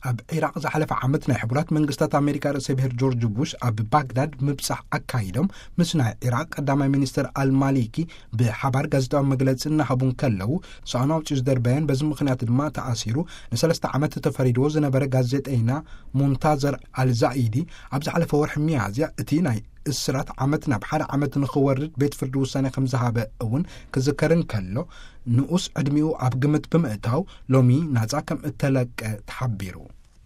ኣብ ዒራቕ ዝሓለፈ ዓመት ናይ ሕቡራት መንግስታት ኣሜሪካ ርእሰ ብሔር ጆርጅ ቡሽ ኣብ ባግዳድ ምብጻሕ ኣካይዶም፣ ምስ ናይ ዒራቕ ቀዳማይ ሚኒስትር ኣልማሊኪ ብሓባር ጋዜጣዊ መግለጺ እናሃቡ እንከለዉ፣ ሰኣኑ ኣውጺኡ ዝደርበየን በዚ ምኽንያት ድማ ተኣሲሩ ንሰለስተ ዓመት ተፈሪድዎ ዝነበረ ጋዜጠይና ሙንታዘር ኣልዛኢዲ፣ ኣብ ዝሓለፈ ወርሒ ሚያዝያ እቲ ናይ እስራት ዓመት ናብ ሓደ ዓመት ንኽወርድ ቤት ፍርዲ ውሳኔ ከም ዝሃበ እውን ክዝከር እንከሎ፣ ንኡስ ዕድሚኡ ኣብ ግምት ብምእታው ሎሚ ናጻ ከም እተለቀ ተሓቢሩ።